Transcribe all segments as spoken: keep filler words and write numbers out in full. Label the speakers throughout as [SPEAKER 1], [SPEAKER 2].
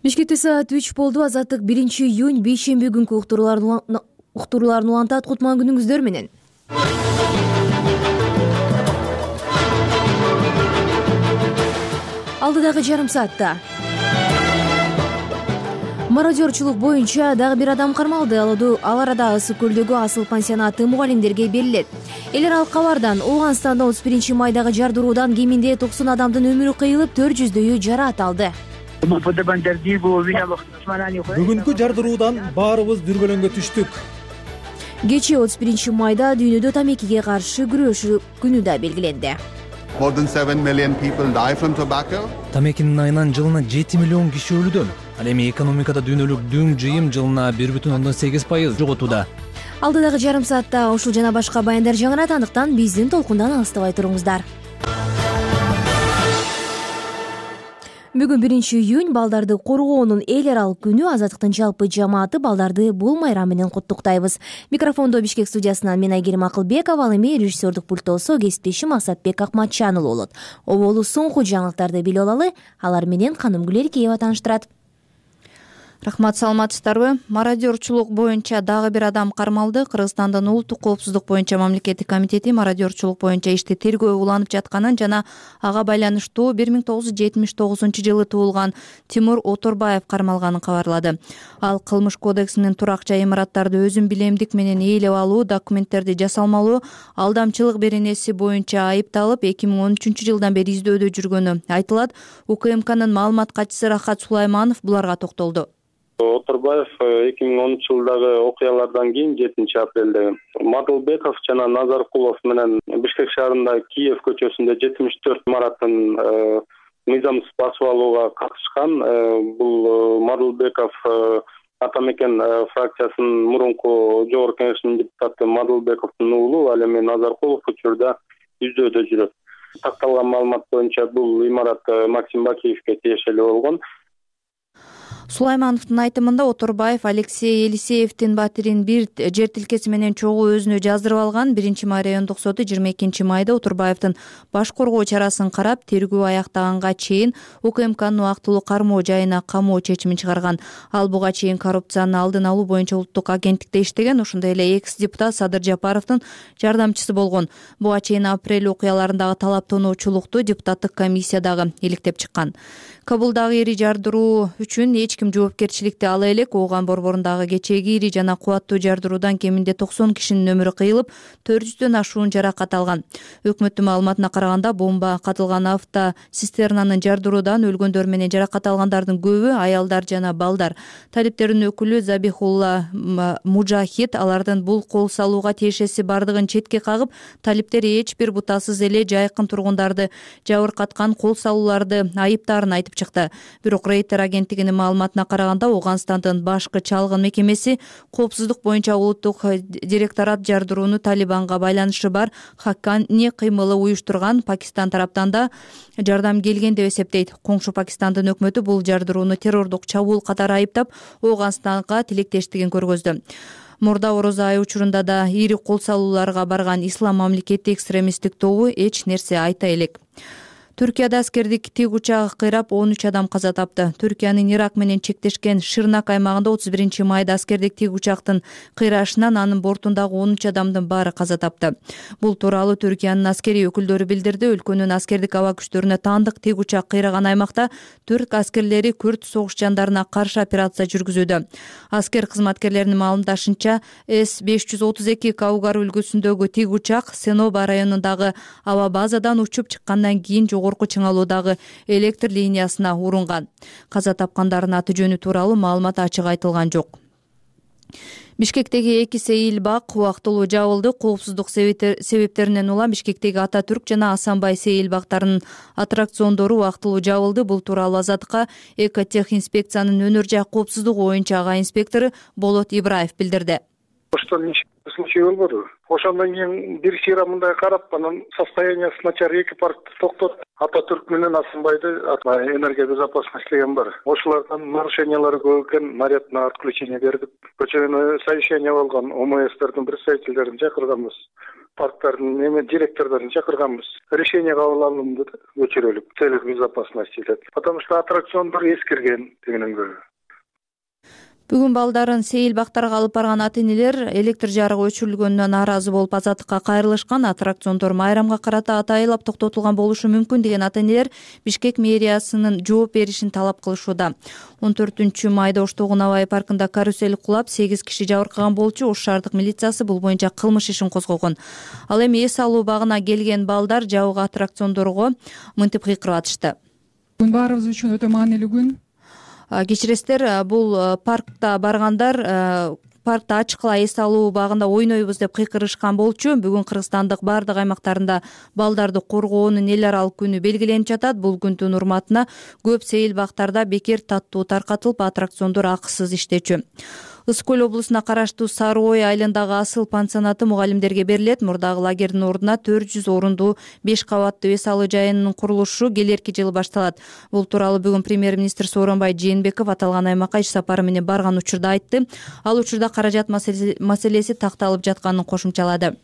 [SPEAKER 1] Бишкекте саат үч болду. Азаттык биринчи июнь бейшемби күнкү уктурууларын улантат. Кутман күнүңүздөр менен. Алдыдагы жарым саатта мародерчулук боюнча дагы бир адам кармалды. Ал арада Ысык көлдөгү Асыл пансионаты мугалимдерге берилет. Эл аралык кабардан Ооганстанда отуз биринчи майдагы жардыруудан кеминде токсон адамдын өмүрү кыйылып, төрт жүздөйү жараат алды.
[SPEAKER 2] Бүгүнкү жардыруудан баарыбыз дүрбөлөңгө түштүк.
[SPEAKER 1] Кечээ отуз биринчи майда дүйнөдө тамекиге каршы күрөшүү күнү да белгиленди.
[SPEAKER 3] More than seven million people die from tobacco.
[SPEAKER 4] Тамекинин айынан жылына жети миллион киши өлүүдө. Ал эми экономикада дүйнөлүк дүң жыйым жылына бир бүтүн ондон сегиз пайыз жоготууда.
[SPEAKER 1] Алдыдагы жарым саатта ушул жана башка баяндар жаңырат, андыктан биздин толкундан алыстабай туруңуздар. Бүгүн биринчи июнь балдарды коргоонун эл аралык күнү. Азаттыктын жалпы жамааты балдарды бул майрам менен куттуктайбыз. Микрофондо Бишкек студиясынан мен Айгерим Акылбекова, ал эми режиссердук пульттосо кесиптешим Асатбек Акматчан болот. Оболу соңку жаңылыктарды билип алалы. Алар менен Канымгүл Эркеева тааныштырат.
[SPEAKER 5] Рахмат, саламатсыздарбы? Мародерчулук боюнча дагы бир адам кармалды. Кыргызстандын улуттук коопсуздук боюнча мамлекеттик комитети мародерчулук боюнча ишти тергөө уланып жатканын жана ага байланыштуу бир миң тогуз жүз жетимиш тогузунчу жылы туулган Тимур Оторбаев кармалганын кабарлады. Ал кылмыш кодексинин турак жай имараттарды өзүн билемдик менен ээлеп алуу, документтерди жасалмалоо, алдамчылык беренеси боюнча айыпталып, эки миң он үчүнчү жылдан бери издөөдө жүргөнү айтылат. УКМКнын маалымат катчысы Рахат Сулайманов буларга токтолду.
[SPEAKER 6] Оторбаев эки миң онунчу жылдагы окуялардан кийин жетинчи апрелде Мадылбеков жана Назаркулов менен Бишкек шаарында Киев көчөсүндө жетимиш төрт имараттын мыйзамсыз басып алууга катышкан. Бул Мадылбеков Атамекен фракциясынын мурунку жогорку кеңешинин депутаты Мадылбековдун уулу, ал эми Назаркулов учурда издөөдө жүрөт. Такталган маалымат боюнча бул имарат Максим Бакиевке тиешелүү болгон.
[SPEAKER 5] Сулаймановдун айтымында Оторбаев Алексей Елисеевдин батирин бир жер тилкеси менен чогуу өзүнө жаздырып алган. Биринчи май райондук соту жыйырма экинчи майда Оторбаевдин баш коргоо чарасын карап, тергөө аяктаганга чейин УКМКнын убактылуу кармоо жайына камоо чечимин чыгарган. Ал буга чейин коррупцияны алдын алуу боюнча улуттук агенттикте иштеген, ошондой эле экс депутат Садыр Жапаровдун жардамчысы болгон. Буга чейин апрель окуяларындагы талаптануучулукту депутаттык комиссия дагы иликтеп чыккан. Кабулдагы ири жардыруу үчүн эч ким жоопкерчиликти ала элек. Ооган борборундагы кечээги ири жана кубаттуу жардыруудан кеминде токсон кишинин өмүрү кыйылып, төрт жүздөн ашуун жаракат алган. Өкмөттүн маалыматына караганда, бомба катылган авто цистернанын жардыруудан өлгөндөр менен жаракат алгандардын көбү аялдар жана балдар. Талиптердин өкүлү Забихулла Мужахид алардын бул кол салууга тиешеси бардыгын четке кагып, талиптер эч бир бутасыз эле жайкын тургундарды жабыркаткан кол салууларды айыптаарын айтып чыкты. Бирок Рейтер агенттигинин маалыматына караганда, Ооганстандын башкы чалгын мекемеси коопсуздук боюнча улуттук директорат жардырууну Талибанга байланышы бар Хаккани кыймылы уюштурган. Пакистан тараптан да жардам келген деп эсептейт. Коңшу Пакистандын өкмөтү бул жардырууну террордук чабуул катары айыптап, Ооганстанга тилектештигин көргөздү. Мурда орозо айы учурунда да ири кол салууларга барган ислам мамлекети экстремисттик тобу эч нерсе айта элек. Түркияда аскердик тик учагы кыйрап, он үч адам каза тапты. Түркиянын Ирак менен чектешкен Шырнак аймагында отуз биринчи майда аскердик тик учактын кыйрашынан анын бортундагы он үч адамдын баары каза тапты. Бул тууралуу Түркиянын аскерий өкүлдөрү билдирди. Өлкөнүн аскердик аба күчтөрүнө таандык тик учак кыйраган аймакта түрк аскерлери күрд согушчандарына каршы операция жүргүзүүдө. Аскер кызматкерлеринин маалымдашынча, С беш жүз отуз эки Каугар үлгүсүндөгү тик учак Сеноба районундагы аба базадан учуп чыккандан кийин жогорку чыңалуудагы электр линиясына урунган. Каза тапкандардын аты жөнү тууралуу маалымат ачык айтылган жок. Бишкектеги эки сейил бак убактылуу жабылды. Коопсуздук себептеринен улам Бишкектеги Ататүрк жана Асанбай сейил бактарынын аттракциондору убактылуу жабылды. Бул тууралуу Азаттыкка Экотех инспекциянын өнөр жай коопсуздугу боюнча ага инспектору Болот Ибраев билдирди.
[SPEAKER 7] Что случай болбоду. Ошондон кийин бир сыйра мындай карап, анан состояниясы начар эки паркты токтотуп, Ататүрк менен Асанбайды энергия безопасностьдеген бар. Ошолордон нарушениялар көп экен, нарядына отключение бердик. Көчөнө совещание болгон, ОМСтердин представительдерин чакырганбыз. парктардын эме директордорун чакырганбыз. Решение кабыл алынды да көчүрөлүк целях безопасности деп. Потому что аттракциондор эскирген дегенен көрө.
[SPEAKER 5] Бүгүн балдарын сейил бактарга алып барган ата-энелер электр жарыгы өчүрүлгөнүнө нааразы болуп азаттыкка кайрылышкан. Аттракциондор майрамга карата атайылап токтотулган болушу мүмкүн деген ата-энелер Бишкек мэриясынын жооп беришин талап кылышууда. он төртүнчү майда Оштогун абай паркында карусель кулап сегиз киши жабыркаган болчу. Ош шаардык милициясы бул боюнча кылмыш ишин козгогон. Ал эми эс алуу багына келген балдар жабык аттракциондорго мынтип кыйкырып атышты.
[SPEAKER 8] Бүгүн баарыбыз үчүн өтө маанилүү күн.
[SPEAKER 5] Кечиресиздер, бул паркта баргандар паркта ачыкла эс алуу багында ойнойбуз деп кыйкырышкан болчу. Бүгүн Кыргызстандык баардык аймактарында балдарды коргоонун эл аралык күнү белгиленип жатат. Бул күндүн урматына көп сейил бактарда бекер таттуу таркатылып, аттракциондор акысыз иштечү. Ысык көл облусуна караштуу Сары Ой айылындагы Асыл пансионаты мугалимдерге берилет. Мурдагы лагердин ордуна төрт жүз орунду беш кабаттуу эс алуу жайынын курулушу келерки жылы башталат. Бул тууралуу бүгүн премьер-министр Сооронбай Жээнбеков аталган аймакка иш сапары менен барган учурда айтты. Ал учурда каражат маселеси такталып жатканын кошумчалады.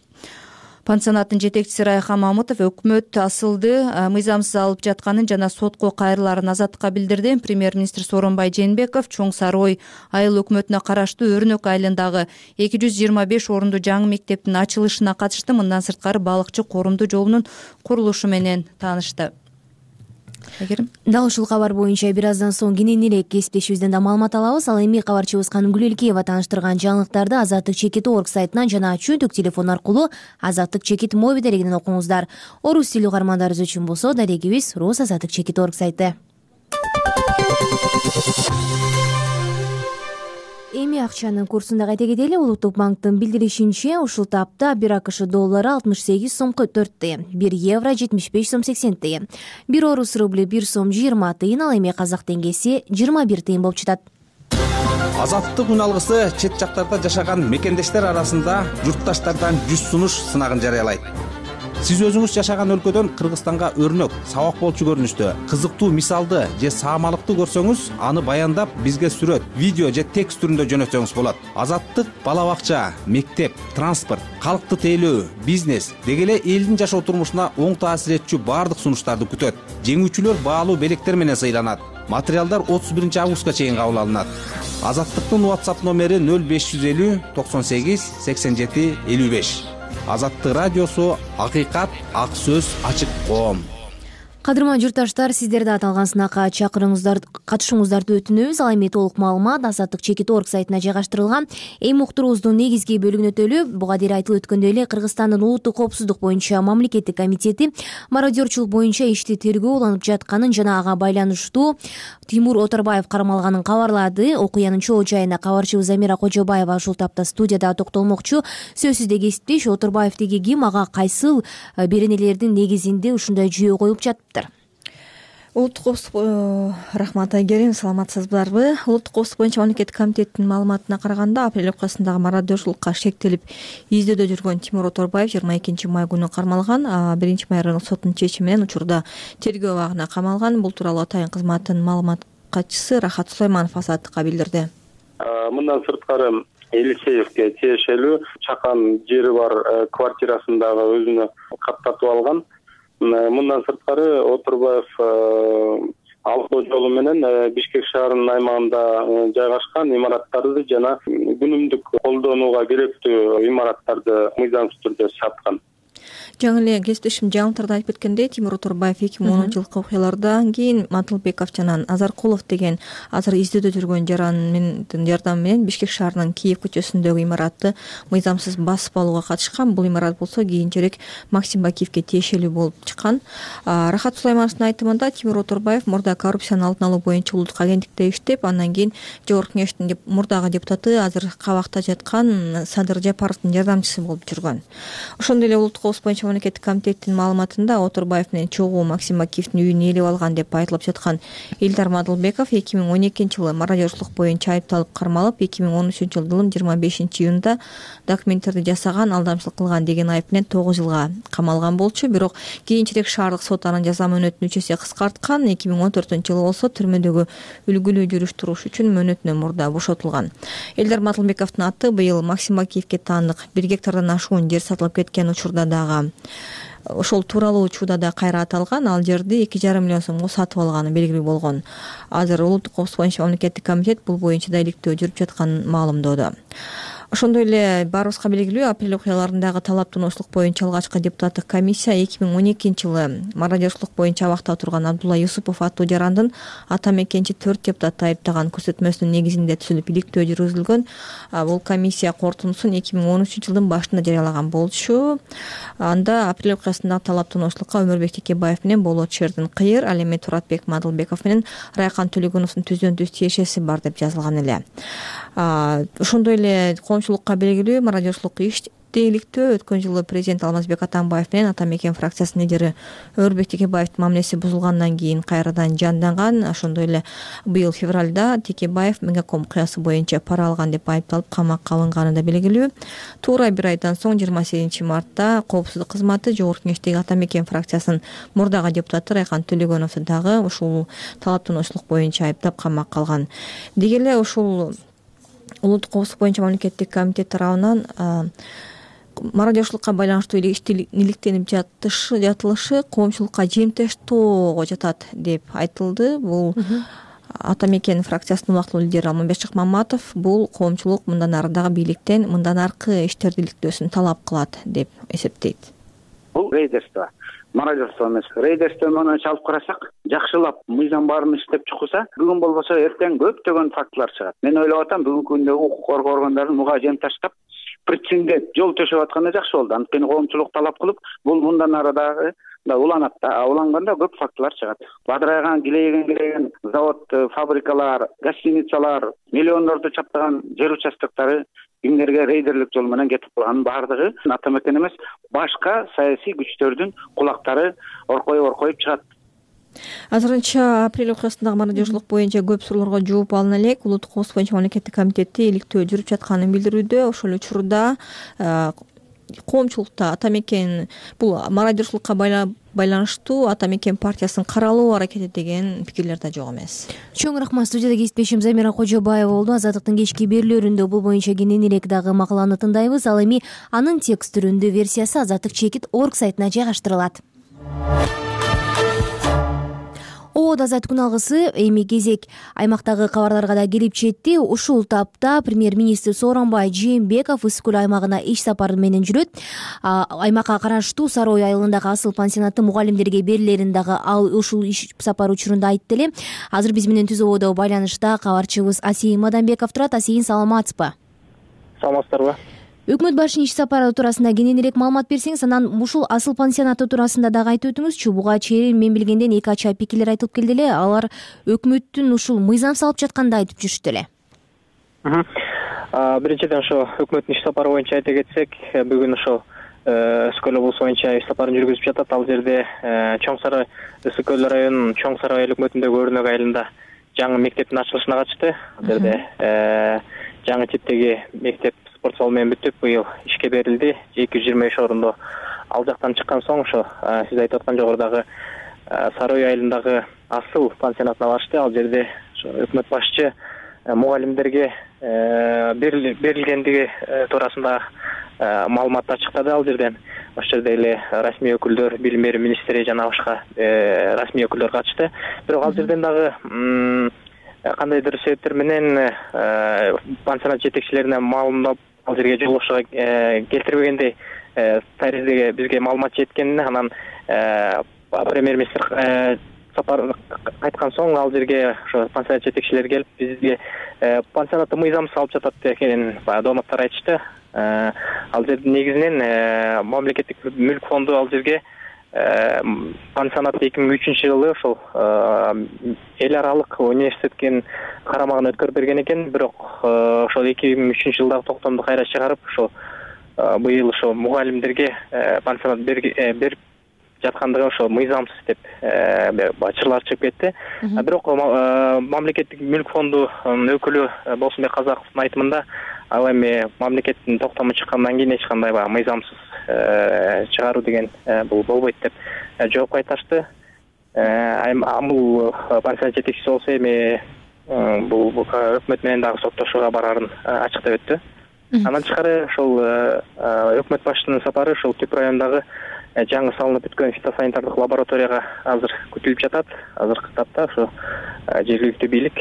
[SPEAKER 5] Пансионаттын жетекчиси Райхан Мамытов өкмөт Асылды мыйзамсыз алып жатканын жана сотко кайрылаарын азаттыкка билдирди. Премьер-министр Сооронбай Жээнбеков Чоң Сары Ой айыл өкмөтүнө караштуу Өрнөк айылындагы эки жүз жыйырма беш орунду жаңы мектептин ачылышына катышты. Мындан сырткары балыкчы корумду жолунун курулушу менен таанышты.
[SPEAKER 1] Дал ушул кабар боюнча бир аздан соң кененирээк кесиптешибизден да маалымат алабыз. Ал эми кабарчыбыз Канымгүл Элкеева тааныштырган жаңылыктарды Азаттык чекит орг сайтынан жана чөнтөк телефон аркылуу Азаттык чекит моби дарегинен окуңуздар. Орус тилүү угармандарыбыз үчүн болсо дарегибиз Рус Азаттык чекит орг сайты. Эми акчанын курсун да кайта кетели. Улуттук банктын билдиришинче, ушул тапта бир АКШ доллары алтымыш сегиз сомго төрт тыйын, бир евро жетимиш беш сом сексен тыйын, бир орус рубли бир сом жыйырма тыйын, ал эми казак теңгеси жыйырма бир тыйын болуп жатат.
[SPEAKER 9] Азаттык үн алгысы чет жактарда жашаган мекендештер арасында журтташтардан жүз сунуш сынагын жарыялайт. Сиз өзүңүз жашаган өлкөдөн Кыргызстанга өрнөк, сабак болчу көрүнүштө, кызыктуу мисалды же саамалыкты көрсөңүз, аны баяндап бизге сүрөт, видео же текст түрүндө жөнөтсөңүз болот. Азаттык бала бакча, мектеп, транспорт, калкты тейлөө, бизнес деги эле элдин жашоо турмушуна оң таасир этчү баардык сунуштарды күтөт. Жеңүүчүлөр баалуу белектер менен сыйланат. Материалдар отуз биринчи августка чейин кабыл алынат. Азаттыктын WhatsApp номери нөл беш жүз элүү токсон сегиз сексен жети элүү беш. Азаттык радиосу, акыйкат, ак сөз, ачык коом.
[SPEAKER 1] Кадырман журтташтар, сиздерди аталган сынакка чакырыңыздар, катышууңуздарды өтүнөбүз. Ал эми толук маалымат Азаттык чекит орг сайтына жайгаштырылган. Эми уктуруубуздун негизги бөлүгүнө өтөлү. Буга дейин айтылып өткөндөй эле Кыргызстандын улуттук коопсуздук боюнча мамлекеттик комитети мародерчулук боюнча ишти тергөө уланып жатканын жана ага байланыштуу Тимур Оторбаев кармалганын кабарлады. Окуянын чоо жайына кабарчыбыз Замира Кожобаева ушул тапта студияда токтолмокчу. Сөзсүз кесиптеш Оторбаев деги ким, ага кайсыл беренелердин негизинде ушундай жүйө коюп жатыптыр?
[SPEAKER 10] Улуттук коопсуздук рахмат Айгерим, саламатсыздарбы? Улуттук коопсуздук боюнча мамлекеттик комитеттин маалыматына караганда, апрель окуясындагы мародерчулукка шектелип издөөдө жүргөн Тимур Оторбаев жыйырма экинчи май күнү кармалган. биринчи май райондук соттун чечими менен учурда тергөө абагына камалган. Бул тууралуу атайын кызматтын маалымат катчысы Рахат Сулайманов Азаттыкка билдирди.
[SPEAKER 6] Мындан сырткары Елисеевке тиешелүү чакан жери бар квартирасындагы өзүнө каттатып алган. Мындан сырткары Оторбаев алдоо жолу менен Бишкек шаарынын аймагында жайгашкан имараттарды жана күнүмдүк колдонууга керектүү имараттарды мыйзамсыз түрдө саткан.
[SPEAKER 10] Жаңы эле кесиптешим жаңылыктарда айтып кеткендей, Тимур Оторбаев эки миң онунчу жылкы окуялардан кийин Матылбеков жана Азаркулов деген азыр издөөдө жүргөн жарандын жардамы менен Бишкек шаарынын Киев көчөсүндөгү имаратты мыйзамсыз басып алууга катышкан. Бул имарат болсо кийинчерээк Максим Бакиевке тиешелүү болуп чыккан. Рахат Сулаймановдун айтымында Тимур Оторбаев мурда коррупцияны алдын алуу боюнча улуттук агенттикте иштеп, андан кийин Жогорку кеңештин мурдагы депутаты, азыр кабакта жаткан Садыр Жапаровдун жардамчысы болуп жүргөн. Ошондой эле улуттук коопсуздук боюнча мамлекеттик комитеттин маалыматында Отурбаев менен чогуу Максим Акиевдин үйүн ээлеп алган деп айтылып жаткан Элдар Мадылбеков эки миң он экинчи жылы мародёрлук боюнча айыпталып кармалып, эки миң он үчүнчү жылдын жыйырма бешинчи июнунда документтерди жасаган, алдамчылык кылган деген айып менен тогуз жылга камалган болчу. Бирок кийинчерээк шаардык сот анын жаза мөөнөтүн үч эсе кыскарткан. эки миң он төртүнчү жылы болсо түрмөдөгү үлгүлүү жүрүш туруш үчүн мөөнөтүнөн мурда бошотулган. Элдар Мадылбековдун аты быйыл Максим Акиевге таандык бир гектардан ашуун жер сатылып кеткен учурда дагы, ошол тууралуу учурда да кайра аталган. Ал жерди эки жарым миллион сомго сатып алганы белгилүү болгон. Азыр улуттук коопсуздук боюнча мамлекеттик комитет бул боюнча да иликтөө жүрүп жатканын маалымдоодо. Ошондой эле баарыбызга белгилүү, апрель окуяларындагы талап-тунуштуулук боюнча алгачкы депутаттык комиссия эки миң он экинчи жылы мародёрлук боюнча абакта отурган Абдулла Юсупов аттуу жарандын ата мекенчи төрт депутатты айыптаган көрсөтмөсүнүн негизинде түзүлүп иликтөө жүргүзүлгөн. Бул комиссия корутундусун эки миң он үчүнчү жылдын башында жарыялаган болчу. Анда апрель окуясындагы талап-тунуштуулукка Өмүрбек Текебаев менен Болот Шердин Кыйыр, ал эми Туратбек Мадылбеков менен Райкан Төлөгөновдун түздөн түз тиешеси бар деп жазылган эле. Ошондой эле коомчулукка белгилүү мародёрлук ишти иликтөө өткөн жылы президент Алмазбек Атамбаев менен Ата мекен фракциясынын лидери Өмүрбек Текебаевдин мамилеси бузулгандан кийин кайрадан жанданган. Ошондой эле быйыл февралда Текебаев Мегаком окуясы боюнча пара алган деп айыпталып камакка алынганы да белгилүү. Туура бир айдан соң жыйырма сегизинчи мартта Коопсуздук кызматы Жогорку Кеңештеги Ата мекен фракциясынын мурдагы депутаты Райкан Төлөгөновду дагы ушул талап-тунуштуулук боюнча айыптап камакка алган. Деги эле ушул улуттук коопсуздук боюнча мамлекеттик комитет тарабынан мародёрлукка байланыштуу ишти иликтенип жатышы жатылышы коомчулукка жемтештоого жатат деп айтылды. Бул Ата мекен фракциясынын убактылуу лидери Алмамбет Шыкмаматов бул коомчулук мындан ары дагы бийликтен мындан аркы иштерди иликтөөсүн талап кылат деп эсептейт.
[SPEAKER 11] Бул рейдерство, мародёрство эмес. Рейдерство менен чалып карасак, жакшылап мыйзам баарын иштеп чыкса, бүгүн болбосо эртең көптөгөн фактылар чыгат. Мен ойлоп атам, бүгүнкү күндө укук коргоо органдары муга жем таштап, прициндеп жол төшөп атканы жакшы болду. Анткени коомчулук талап кылып, бул мындан ары дагы да уланат да. Уланганда көп фактылар чыгат. Бадырайган, килейген килейген завод, фабрикалар, гостиницалар, миллиондорду чаптаган жер участоктары кимдерге рейдерлик жол менен кетип калганын баардыгы Ата мекен эмес, башка саясий күчтөрдүн кулактары оркоюп-оркоюп чыгат.
[SPEAKER 10] Азырынча апрель окуясындагы мародёрлук боюнча көп суроолорго жооп алына элек. Улуттук коопсуздук боюнча мамлекеттик комитети иликтөө жүрүп жатканын билдирүүдө. Ошол учурда коомчулукта Ата мекен бул мародёрлукка байланыштуу Ата мекен партиясын каралуу аракети деген пикирлер да жок эмес.
[SPEAKER 1] Чоң рахмат. Студияда кесиптешим Замира Кожобаева болду. Азаттыктын кечки берүүлөрүндө бул боюнча кененирээк дагы макаланы тындайбыз. Ал эми анын текст түрүндө версиясы азаттык чекит точка орг сайтына жайгаштырылат. Оодо азат күн алгысы эми кезек аймактагы кабарларга да келип жетти. Ушул тапта премьер-министр Сооронбай Жээнбеков Ысык көл аймагына иш сапары менен жүрөт. Аймакка караштуу Сары Ой айылындагы асыл пансионаты мугалимдерге берилерин дагы ал ушул иш сапары учурунда айтты эле. Азыр биз менен түз ободо байланышта кабарчыбыз Асейин Мадамбеков турат. Асейин, саламатсызбы?
[SPEAKER 12] Саламатсыздарбы?
[SPEAKER 1] Өкмөт башчынын иш сапары туурасында кененирээк маалымат берсеңиз, анан ушул асыл пансионаты туурасында дагы айтып өтүңүзчү. Буга чейин мен билгенден эки ача пикирлер айтылып келди эле. Алар өкмөттүн ушул мыйзам салып жатканды айтып жүрүштү эле.
[SPEAKER 12] Биринчиден ошо өкмөттүн иш сапары боюнча айта кетсек, бүгүн ошо Ысык көл облусу боюнча иш сапарын жүргүзүп жатат. Ал жерде Чоң Сарай, Ысык көл районунун Чоң Сарай айыл өкмөтүндөгү Өрнөк айылында жаңы мектептин ачылышына катышты. Ал жерде жаңы типтеги мектеп спорт зал менен бүтүп, быйыл ишке берилди. эки жүз жыйырма беш орунду ал жактан чыккан соң ошо сиз айтып аткан жогорудагы Сары Ой айылындагы асыл пансионатына барышты. Ал жерде ошо өкмөт башчы мугалимдерге берилгендиги туурасында маалыматты ачыктады. Ал жерден ошол жерде эле расмий өкүлдөр, билим берүү министри жана башка расмий өкүлдөр катышты. Бирок ал жерден дагы кандайдыр себептер менен пансионат жетекчилерине маалымдап ал жерге жолугушууга келтирбегендей таризге бизге маалымат жеткенин, анан премьер-министр сапар кайткан соң ал жерге ошо пансионат жетекчилери келип бизге пансионатты мыйзам салып жатат экенин дооматтар айтышты. Ал жерде негизинен мамлекеттик мүлк фонду ал жерге пансионатты эки миң үчүнчү жылы ошол эл аралык университеттин карамагына өткөрүп берген экен. Бирок ошол эки миң үчүнчү жылдагы токтомду кайра чыгарып, ошол быйыл ошо мугалимдерге пансионат берип жаткандыгы ошо мыйзамсыз деп чырлар чыгып кетти. Бирок мамлекеттик мүлк фондунун өкүлү Болсунбек Казаковдун айтымында ал эми мамлекеттин токтому чыккандан кийин эч кандай баягы мыйзамсыз чыгаруу деген бул болбойт деп жооп кайтарышты. Бул пансионат жетекчиси болсо эми бул өкмөт менен дагы соттошууга барарын ачыктап өттү. Андан тышкары ошол өкмөт башчысынын сапары ошол Түп районундагы жаңы салынып бүткөн фитосанитардык лабораторияга азыр күтүлүп жатат. Азыркы тапта ошо жергиликтүү бийлик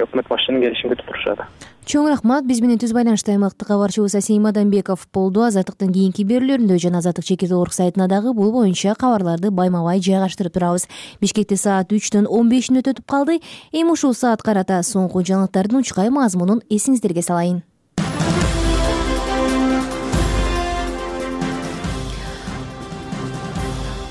[SPEAKER 12] өкмөт башчынын келишин күтүп турушат.
[SPEAKER 1] Чоң рахмат. Биз менен түз байланышта аймактык кабарчыбыз Асейим Адамбеков болду. Азаттыктын кийинки берүүлөрүндө жана Азаттык чекит орг сайтына дагы бул боюнча кабарларды байма-бай жайгаштырып турабыз. Бишкекте саат үчтөн он беш мүнөт өтүп калды. Эми ушул саат карата соңку жаңылыктардын учкай мазмунун эсиңиздерге салайын.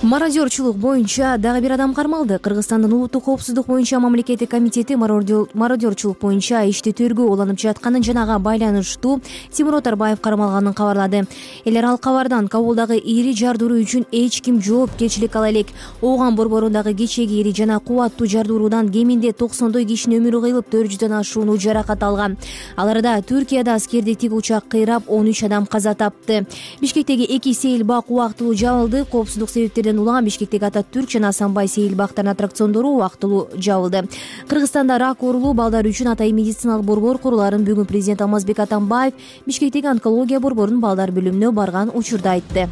[SPEAKER 1] Мародерчулук боюнча дагы бир адам кармалды. Кыргызстандын улуттук коопсуздук боюнча мамлекеттик комитети мародерчулук боюнча ишти тергөө уланып жатканын жанага байланыштуу Тимур Отарбаев кармалганын кабарлады. Эл аралык кабардан Кабулдагы ири жардыруу үчүн эч ким жоопкерчилик ала элек. Ооган борборундагы кечеги ири жана кубаттуу жардыруудан кеминде токсондой кишинин өмүрү кыйылып, төрт жүздөн ашууну жаракат алган. Аларда Түркияда аскердик тик учак кыйрап, он үч адам каза тапты. Бишкектеги эки сейилбак убактылуу жабылды. Коопсуздук себептерден улам Бишкектеги Ататүрк жана Асанбай сейилбактарынын аттракциондору убактылуу жабылды. Кыргызстанда рак оорулуу балдар үчүн атайын медициналык борбор куруларын бүгүн президент Алмазбек Атамбаев Бишкектеги онкология борборунун балдар бөлүмүнө барган учурда айтты.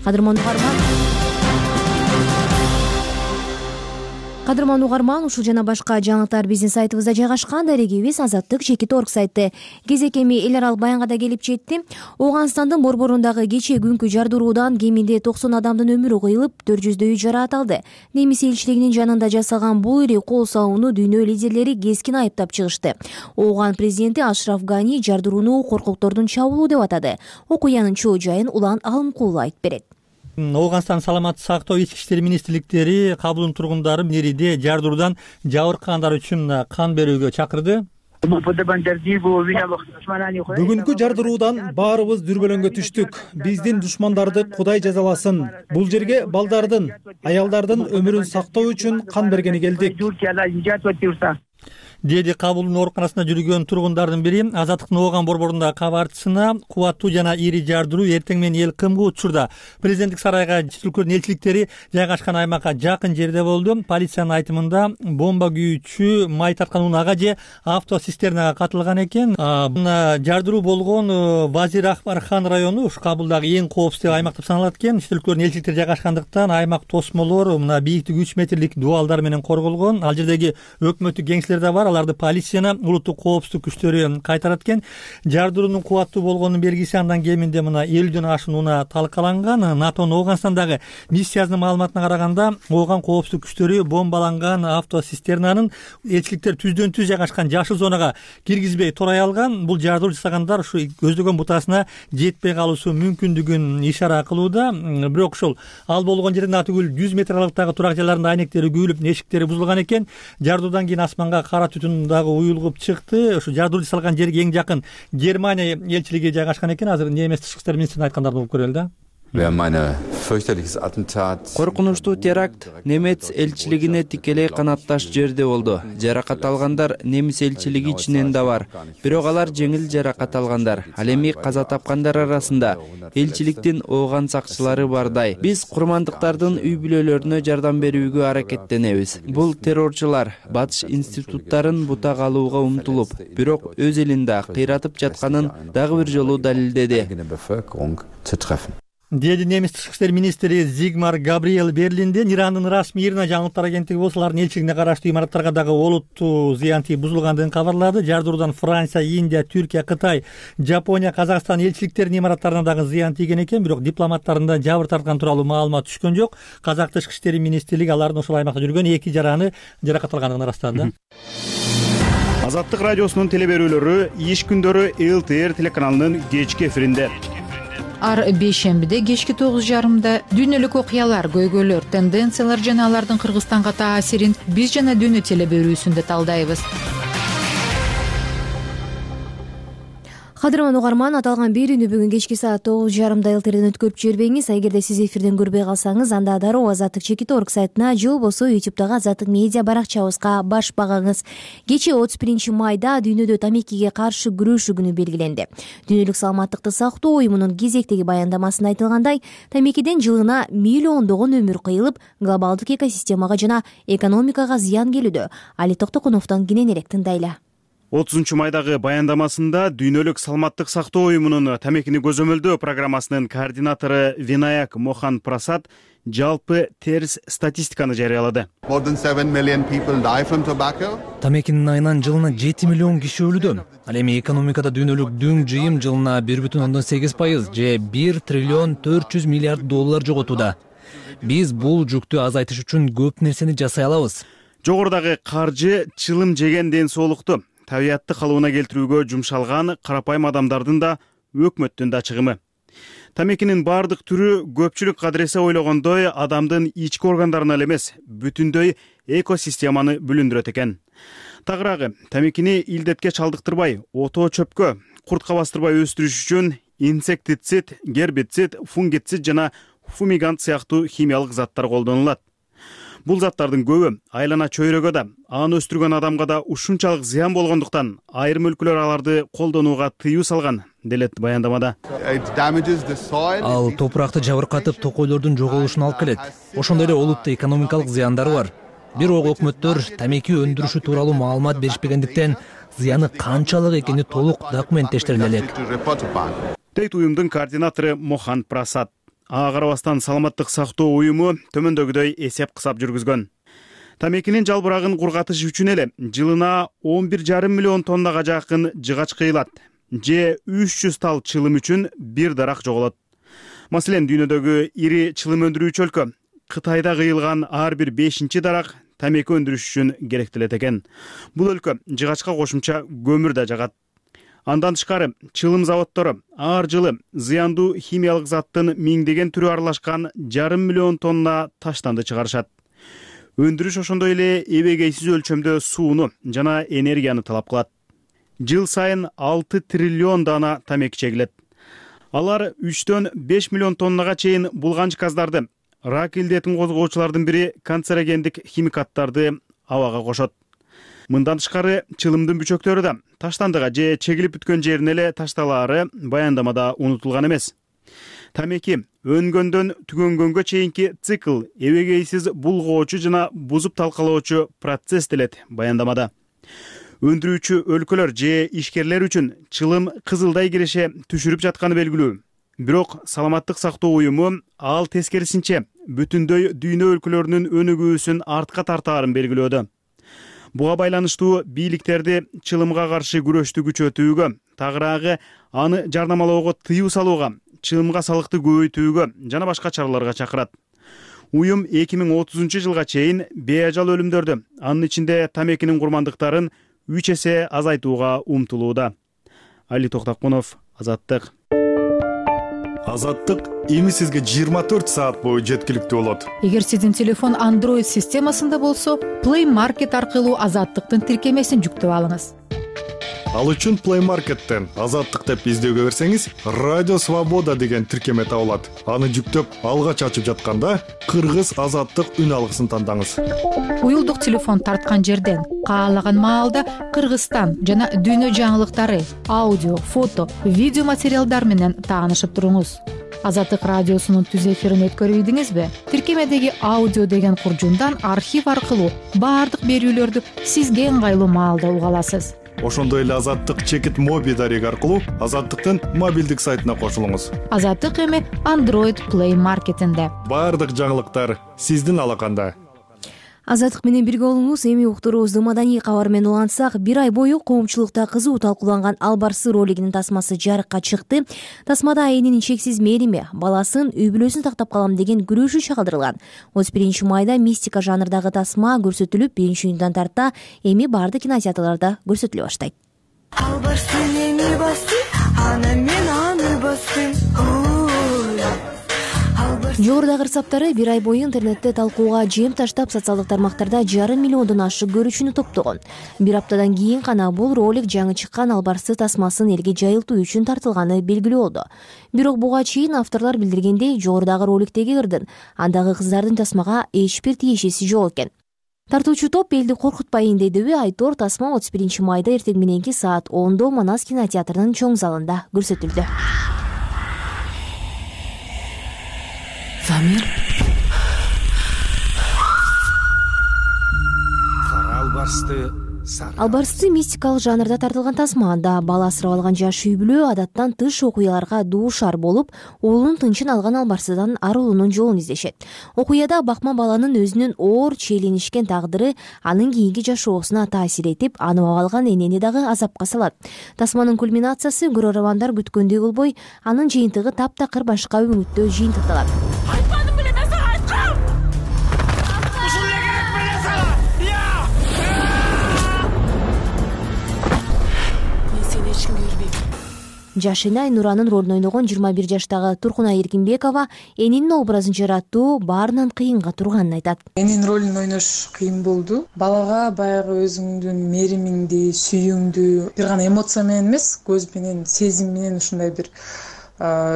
[SPEAKER 1] Кадырман угарман Кадырман угарман ушул жана башка жаңылыктар биздин сайтыбызда жайгашкан. Дарегибиз Азаттык чекит орг сайты. Кезек эми эл аралык баянга да келип жетти. Ооганстандын борборундагы кечээ күнкү жардыруудан кеминде токсон адамдын өмүрү кыйылып, төрт жүздөйү жаракат алды. Немис элчилигинин жанында жасалган бул ири кол сауну дүйнө лидерлери кескин айыптап чыгышты. Ооган президенти Ашраф Гани жардырууну коркоктордун чабуулу деп атады. Окуянын чоо жайын Улан Алымкулов айтып берет.
[SPEAKER 13] Ооганстан саламаттык сактоо ички иштер министрликтери Кабулдун тургундарын ириде жардыруудан жабыркагандар үчүн кан берүүгө чакырды.
[SPEAKER 2] Бүгүнкү жардыруудан баарыбыз дүрбөлөңгө түштүк. Биздин душмандарды Кудай жазаласын. Бул жерге балдардын, аялдардын өмүрүн сактоо үчүн кан бергени келдик.
[SPEAKER 13] Деди Кабулдун ооруканасында жүргөн тургундардын бири. Азаттыктын Ооган борборундагы кабарчысына кубаттуу жана ири жардыруу эртең менен эл кымгуу учурда президенттик сарайга Түркүн элчиликтери жайгашкан аймакка жакын жерде болду. Полициянын айтымында бомба күйүүчү май тарткан унага же автоцистернага катылган экен. Жардыруу болгон Вазир Акбархан району ушу Кабулдагы эң коопсуз аймак деп саналат экен. Түркүн элчиликтери жайгашкандыктан аймак тосмолор мына бийиктиги үч метрлик дубалдар менен корголгон. Ал жердеги өкмөттүк кеңселер да бар. Аларды полицияны улуттук коопсуздук күчтөрү кайтарат экен. Жардыруунун кубаттуу болгонунун белгиси андан кеминде мына элүүдөн ашуун унаа талкаланган. НАТОнун Ооганстандагы миссиясынын маалыматына караганда, Ооган коопсуздук күчтөрү бомбаланган автоцистернанын элчиликтер түздөн түз жайгашкан жашыл зонага киргизбей турай алган. Бул жардыруу жасагандар ушу көздөгөн бутасына жетпей калуусу мүмкүндүгүн ишара кылууда. Бирок ошол ал болгон жерден атүгүл жүз метр аралыктагы турак жайларында айнектери күйүлүп, эшиктери бузулган экен. Жардыруудан кийин асманга кара түтүн дагы уюлгуп чыкты. Ушу жардыруу жасалган жерге эң жакын Германия элчилиги жайгашкан экен. Азыр немис тышкы иштер министринин айткандарын угуп көрөлү да.
[SPEAKER 14] Коркунучтуу теракт немец элчилигине тикелей канатташ жерде болду. Жаракат алгандар немис элчилиги ичинен да бар. Бирок алар жеңил жаракат алгандар. Ал эми каза тапкандар арасында элчиликтин Ооган сакчылары бардай. Биз курмандыктардын үй бүлөлөрүнө жардам берүүгө аракеттенебиз. Бул террорчулар батыш институттарын бута калууга умтулуп, бирок өз элинде кыйратып жатканын дагы бир жолу далилдеди.
[SPEAKER 13] Деди немис тышкы иштер министри Зигмар Габриэл Берлинде. Ирандын расмий Ирна жаңылыктар агенттиги болсо алардын элчилигине караштуу имараттарга дагы олуттуу зыян тийип бузулгандыгын кабарлады. Жардыруудан Франция, Индия, Түркия, Кытай, Жапония, Казакстан элчиликтеринин имараттарына дагы зыян тийген экен. Бирок дипломаттарында жабыр тарткан тууралуу маалымат түшкөн жок. Казак тышкы иштери министрлиги алардын ошол аймакта жүргөн эки жараны жаракат алгандыгын ырастады.
[SPEAKER 15] Азаттык радиосунун телеберүүлөрү иш күндөрү эл тэ эр телеканалынын кечки эфиринде.
[SPEAKER 16] Ар бейшембиде кечки тогуз жарымда дүйнөлүк окуялар, көйгөйлөр, тенденциялар жана алардын Кыргызстанга таасирин биз жана дүйнө телеберүүсүндө талдайбыз.
[SPEAKER 1] Кадырман угарман, аталган берүүнү бүгүн кечки саат тогуз жарымда элтерден өткөрүп жибербеңиз. Эгерде сиз эфирден көрбөй калсаңыз, анда дароо Азаттык чекит орг сайтына же болбосо ютубтагы Азаттык медиа баракчабызга баш багыңыз. Кечээ отуз биринчи майда дүйнөдө тамекиге каршы күрөшүү күнү белгиленди. Дүйнөлүк саламаттыкты сактоо уюмунун кезектеги баяндамасында айтылгандай, тамекиден жылына миллиондогон өмүр кыйылып, глобалдык экосистемага жана экономикага зыян келүүдө. Али Токтокуновдон кененирээк тыңдайлы.
[SPEAKER 15] отузунчу майдагы баяндамасында Дүйнөлүк саламаттык сактоо уюмунун тамекини көзөмөлдөө программасынын координатору Винаяк Мохан Прасад жалпы терс статистиканы жарыялады.
[SPEAKER 4] Тамекинин айынан жылына жети миллион киши өлүүдө. Ал эми экономикада дүйнөлүк дүң жыйым жылына бир бүтүн ондон сегиз пайыз же бир триллион төрт жүз миллиард доллар жоготууда. Биз бул жүктү азайтыш үчүн көп нерсени жасай алабыз.
[SPEAKER 15] Жогорудагы каржы чылым жеген ден соолукту, табиятты калыбына келтирүүгө жумшалган карапайым адамдардын да, өкмөттүн да чыгымы. Тамекинин бардык түрү көпчүлүк кадыресе ойлогондой адамдын ички органдарына эле эмес, бүтүндөй экосистеманы бүлүндүрөт экен. Тагыраагы, тамекини илдетке чалдыктырбай, отоо чөпкө, куртка бастырбай өстүрүш үчүн инсектицид, гербицид, фунгицид жана фумигант сыяктуу химиялык заттар колдонулат. Бул заттардын көбү айлана чөйрөгө да, аны өстүргөн адамга да ушунчалык зыян болгондуктан айрым өлкөлөр аларды колдонууга тыюу салган, делет баяндамада.
[SPEAKER 4] Ал топуракты жабыркатып, токойлордун жоголушуна алып келет. Ошондой эле олуттуу экономикалык зыяндары бар. Бирок өкмөттөр тамеки өндүрүшү тууралуу маалымат беришпегендиктен зыяны канчалык экени толук документтештириле элек.
[SPEAKER 15] Дейт уюмдун координатору Мохан Прасад. Ага карабастан саламаттык сактоо уюму төмөндөгүдөй эсеп кысап жүргүзгөн. Тамекинин жалбырагын кургатыш үчүн эле жылына он бир жарым миллион тоннага жакын жыгач кыйылат, же үч жүз тал чылым үчүн бир дарак жоголот. Маселен, дүйнөдөгү ири чылым өндүрүүчү өлкө Кытайда кыйылган ар бир бешинчи дарак тамеки өндүрүш үчүн керектелет экен. Бул өлкө жыгачка кошумча көмүр да жагат. Андан тышкары, чылым заводдору ар жылы зыяндуу химиялык заттын миңдеген түрү аралашкан жарым миллион тонна таштанды чыгарышат. Өндүрүш ошондой эле эбегейсиз өлчөмдө сууну жана энергияны талап кылат. Жыл сайын алты триллион дана тамеки чегилет. Алар үчтөн беш миллион тоннага чейин булганч газдарды, рак илдетин козгоочулардын бири канцерогендик химикаттарды абага кошот. Мындан тышкары, чылымдын бүчөктөрү да таштандыга же чегилип бүткөн жерине эле ташталаары баяндамада унутулган эмес. Тамеки өнгөндөн түгөнгөнгө чейинки цикл эбегейсиз булгоочу жана бузуп талкалоочу процесс делет баяндамада. Өндүрүүчү өлкөлөр же ишкерлер үчүн чылым кызылдай киреше түшүрүп жатканы белгилүү. Бирок саламаттык сактоо уюму ал тескерисинче бүтүндөй дүйнө өлкөлөрүнүн өнүгүүсүн артка тартаарын белгилөөдө. Буга байланыштуу бийликтерди чылымга каршы күрөштү күчөтүүгө, тагыраагы аны жарнамалоого тыюу салууга, чылымга салыкты көбөйтүүгө жана башка чараларга чакырат. Уюм эки миң отузунчу жылга чейин беажал өлүмдөрдү, анын ичинде тамекинин курмандыктарын үч эсе азайтууга умтулууда. Али Токтокунов, Азаттык.
[SPEAKER 17] Азаттык эми сизге жыйырма төрт саат бою жеткиликтүү болот.
[SPEAKER 16] Эгер сиздин телефон Android системасында болсо, Play Market аркылуу Азаттыктын тиркемесин жүктөп алыңыз.
[SPEAKER 17] Ал үчүн Play Market'тен Азаттык деп издөөгө берсеңиз, Радио Свобода деген тиркеме табылат. Аны жүктөп, алгач ачып жатканда Кыргыз Азаттык үн алгысын тандаңыз.
[SPEAKER 16] Уюлдук телефон тарткан жерден каалаган маалда Кыргызстан жана дүйнө жаңылыктары, аудио, фото, видео материалдар менен таанышып туруңуз. Азаттык радиосунун түз эфирин өткөрүбүдүңүзбү? Тиркемедеги аудио деген куржундан архив аркылуу баардык берүүлөрдү сизге ыңгайлуу маалда уга аласыз.
[SPEAKER 17] Ошондой эле Азаттык чекит моби дареги аркылуу Азаттыктын мобилдик сайтына кошулуңуз.
[SPEAKER 16] Азаттык эми Android Play Market'инде.
[SPEAKER 17] Баардык жаңылыктар сиздин алаканда.
[SPEAKER 1] Азаттык менен бирге болуңуз. Эми уктуруубузду маданий кабар менен улантсак, бир ай бою коомчулукта кызуу талкууланган Албарсы ролигинин тасмасы жарыкка чыкты. Тасмада айынын чексиз мээрими, баласын, үй бүлөсүн тактап калам деген күрөшү чагылдырылган. отуз биринчи майда мистика жанрдагы тасма көрсөтүлүп, биринчи июндан тарта эми баардык кинотеатрларда көрсөтүлө баштайт. Албарсын эми басты, ана мен аны бастым. Жогорудагы ырсаптары бир ай бою интернетте талкууга жем таштап, социалдык тармактарда жарым миллиондон ашык көрүүчүнү топтогон. Бир аптадан кийин гана бул ролик жаңы чыккан албарсы тасмасын элге жайылтуу үчүн тартылганы белгилүү болду. Бирок буга чейин авторлор билдиргендей, жогорудагы роликтеги ырдын андагы кыздардын тасмага эч бир тиешеси жок экен. Тартуучу топ элди коркутпайын дедиби? Айтор тасма отуз биринчи майда эртең мененки саат ондо Манас кинотеатрынын чоң залында көрсөтүлдү.
[SPEAKER 18] Замир.
[SPEAKER 9] Албарсты
[SPEAKER 1] Албарсты мистикалык жанрда тартылган тасма. Анда бала асырап алган жаш үй бүлө адаттан тыш окуяларга дуушар болуп, уулунун тынчын алган албарсыдан арылуунун жолун издешет. Окуяда бакма баланын өзүнүн оор чийлинишкен тагдыры анын кийинки жашоосуна таасир этип, аныбап алган энени дагы азапка салат. Тасманын кульминациясы көрөрмандар күткөндөй болбой, анын жыйынтыгы таптакыр башка үмүттө жыйынтыкталат. Жашынай Нуранын ролун ойногон жыйырма бир жаштагы Туркунай Эркинбекова энинин образын жараттуу баарынан кыйынга турганын айтат.
[SPEAKER 18] Энин ролун ойнош кыйын болду. Балага баягы өзүңдүн меримиңди, сүйүүңдү бир гана эмоция менен эмес, көз менен, сезим менен ушундай бир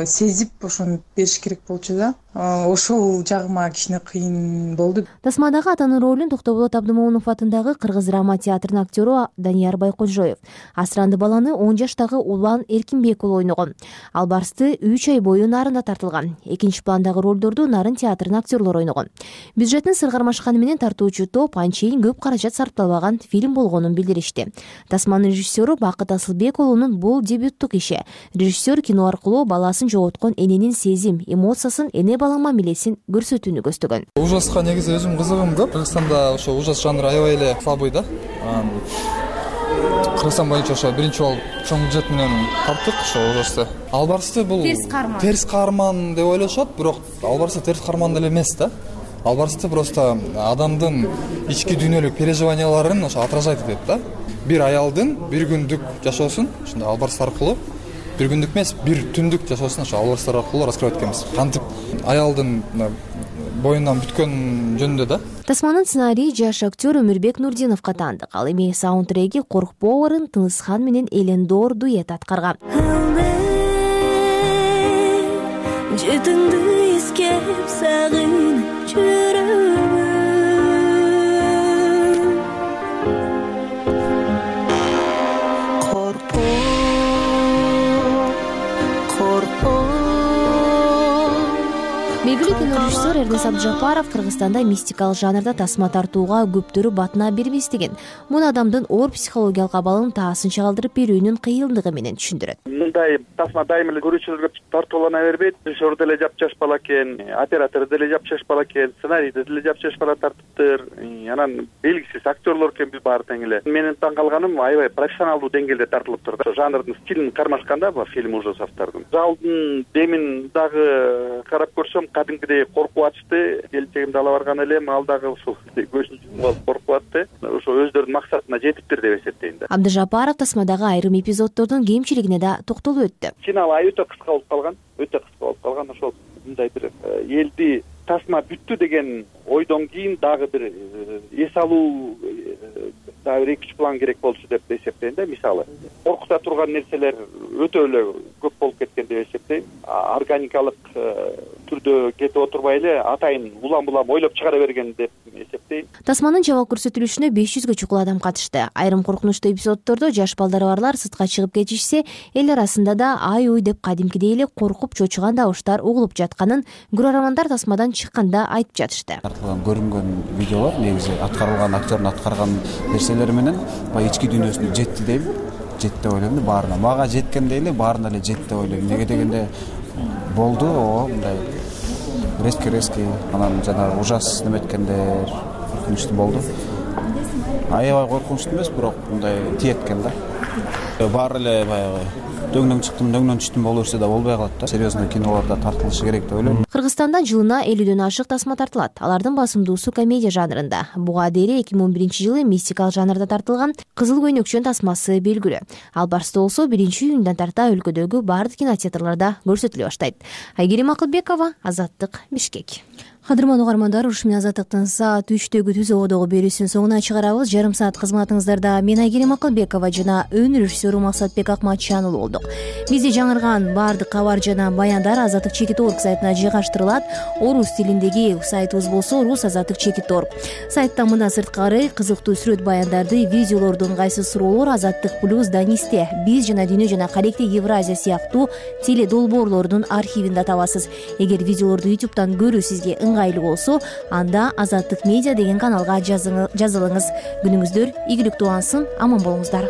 [SPEAKER 18] сезип ошону бериш керек болчу да. Ошол жагыма кичине кыйын болду.
[SPEAKER 1] Тасмадагы атанын ролун Токтоболот Абдымомунов атындагы Кыргыз драма театрынын актеру Данияр Байкожоев, асыранды баланы он жаштагы Улан Эркинбек уулу ойногон. Албарсты үч ай бою Нарында тартылган. Экинчи пландагы ролдорду Нарын театрынын актерлору ойногон. Бюджеттин сыргармашканы менен тартуучу топ анчейин көп каражат сарпталбаган фильм болгонун билдиришти. Тасманын режиссеру Бакыт Асылбек уулунун бул дебюттук иши. Режиссер кино аркылуу баласын жоготкон эненин сезим, эмоциясын, эне бала мамилесин көрсөтүүнү көздөгөн.
[SPEAKER 19] Ужаска негизи өзүм кызыгым көп. Кыргызстанда ошо ужас жанры аябай эле слабый да. Кыргызстан боюнча ошо биринчи болуп чоң бюджет менен тарттык ошо ужасты. Албарсты бул терс каарман. Терс каарман деп ойлошот, бирок Албарсты терс каарман деле эмес да. Албарсты просто адамдын ички дүйнөлүк переживанияларын ошо отражать этет да. Бир аялдын бир күндүк жашоосун ушундай албарс аркылуу бир күндүк эмес, бир түндүк жашоосун ошо албарстар аркылуу раскрывать эткенбиз. Кантип аялдын боюнан бүткөн жөнүндө да.
[SPEAKER 1] Тасманын сценарийи жаш актер Өмүрбек Нурдиновго таандык. Ал эми саундтреги Коркпоорун Тынысхан менен Элендор дуэт аткарган. Жетиңди искеп сагынып жүрөмүн. Белгилүү кинорежиссер Эрнес Абдыжапаров Кыргызстанда мистикалык жанрда тасма тартууга көптөрү батына бербес деген. Муну адамдын оор психологиялык абалын таасынча калтырып берүүнүн кыйындыгы менен түшүндүрөт.
[SPEAKER 6] Мындай тасма дайыма эле көрүүчүлөргө тартуулана бербейт. Режиссер деле жапжаш бала экен, оператор деле жапжаш бала экен, сценарийди деле жапжаш бала тартыптыр. Анан белгисиз актерлор экен биз баары тең эле. Менин таң калганым аябай профессионалдуу деңгээлде тартылыптыр да. Жанрдын стилин кармашканда бул фильм ужасовдордун. Залдын демин дагы карап көрсөм кадимкидей коркуп атышты. Келечегимде ала барган элем, ал дагы ушул көзүн жумуп алып коркуп атты. Ошо өздөрүнүн максатына жетиптир деп эсептейм да.
[SPEAKER 1] Абдыжапаров тасмадагы айрым эпизоддордун кемчилигине да токтолуп өттү.
[SPEAKER 6] Финал ай өтө кыска болуп калган, өтө кыска болуп калган. Ошол мындай бир элди тасма бүттү деген ойдон кийин дагы бир эс алуу дагы бир экинчи план керек болчу деп эсептейм да. Мисалы, коркута турган нерселер өтө эле көп болуп кеткен деп эсептейм. Органикалык түрдө кетип отурбай эле атайын улам-улам ойлоп чыгара берген деп эсептейм.
[SPEAKER 1] Тасманын жабык көрсөтүлүшүнө беш жүзгө чукул адам катышты. Айрым коркунучтуу эпизоддордо жаш балдары барлар сыртка чыгып кетишсе, эл арасында да ай-уй деп кадимкидей эле коркуп чочуган табыштар угулуп жатканын көрөрмандар тасмадан чыкканда айтып жатышты.
[SPEAKER 9] Тартылган көрүнгөн видеолор негизи аткарылган актердин аткарган нерселери менен баягы ички дүйнөсүнө жетти дейм. Жетти деп ойлойм. Баарына мага жеткендей эле баарына эле жетти деп ойлойм. Неге дегенде болду, о мындай резки-резки, анан жанагы ужас неметкендер коркунучтуу болду. Аябай коркунучтуу эмес, бирок мындай тиеткен да.
[SPEAKER 20] баары эле баягы дөңнөн чыктым дөңнөн түштүм боло берсе да болбой калат да. Серьезный кинолордо тартылышы керек деп ойлойм.
[SPEAKER 1] Кыргызстанда жылына элүүдөн ашык тасма тартылат. Алардын басымдуусу комедия жанрында. Буга дейре эки миң он биринчи жылы мистикалык жанрда тартылган Кызыл көйнөкчөн тасмасы белгилүү. Албарста болсо биринчи июндан тарта өлкөдөгү баардык кинотеатрларда көрсөтүлө баштайт. Айгерим Акылбекова, Азаттык, Бишкек. Кадырман угармандар, уруш менен Азаттыктын саат үчтөгү түз ободогу берүүсүнүн соңуна чыгарабыз. Жарым саат кызматыңыздарда мен Айгерим Акылбекова жана өн режиссеру Максатбек Акматчан уулу болдук. Бизде жаңырган баардык кабар жана баяндар Азаттык чекит орг сайтына жайгаштырылат. Орус тилиндеги сайтыбыз болсо Рус Азаттык чекит орг. Сайтта мындан сырткары кызыктуу сүрөт баяндарды, видеолордун кайсы суроолор Азаттык плюс Данисте, биз жана дүйнө жана калекте Евразия сыяктуу теле долбоорлордун архивинде табасыз. Эгер видеолорду ютубтан көрүү сизге ыңгайлуу болсо, анда Азаттык медиа деген каналга жазылыңыз. Күнүңүздөр ийгиликтүү улансын, аман болуңуздар.